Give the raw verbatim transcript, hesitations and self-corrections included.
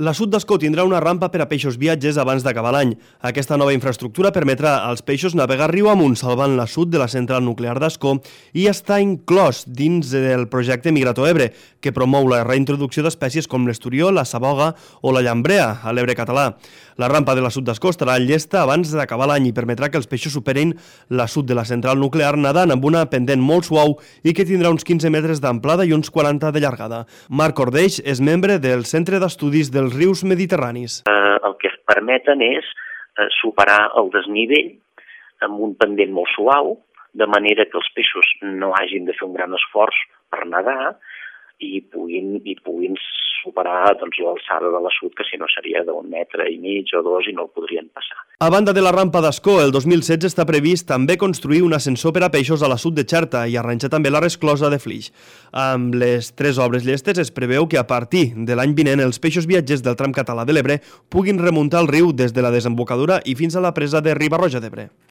La Sud d'Ascó tindrà una rampa per a peixos viatges abans d'acabar l'any. Aquesta nova infraestructura permetrà als peixos navegar riu amunt salvant la Sud de la central nuclear d'Ascó i està inclòs dins del projecte Migrato Ebre, que promou la reintroducció d'espècies com l'esturió, la saboga o la llambrea a l'Ebre català. La rampa de la Sud d'Ascó estarà llesta abans d'acabar l'any i permetrà que els peixos superin la Sud de la central nuclear nadant amb una pendent molt suau i que tindrà uns quinze metres d'amplada i uns quaranta de llargada. Marc Ordeix és membre del Centre d'Estudis dels Rius Mediterranis. Eh, el que permeten és eh, superar el desnivell amb un pendent molt suau, de manera que els peixos no hagin de fer un gran esforç per nedar i puguin, i puguin superar doncs, l'alçada de la Sud, que si no seria d'un metre i mig o dos i no el podrien passar. A banda de la rampa d'Ascó, el dos mil setze està previst també construir un ascensor per a peixos a la Sud de Xerta i arranjar també la resclosa de Flix. Amb les tres obres llestes es preveu que a partir de l'any vinent els peixos viatgers del tram català de l'Ebre puguin remuntar el riu des de la desembocadura i fins a la presa de Riba-roja d'Ebre.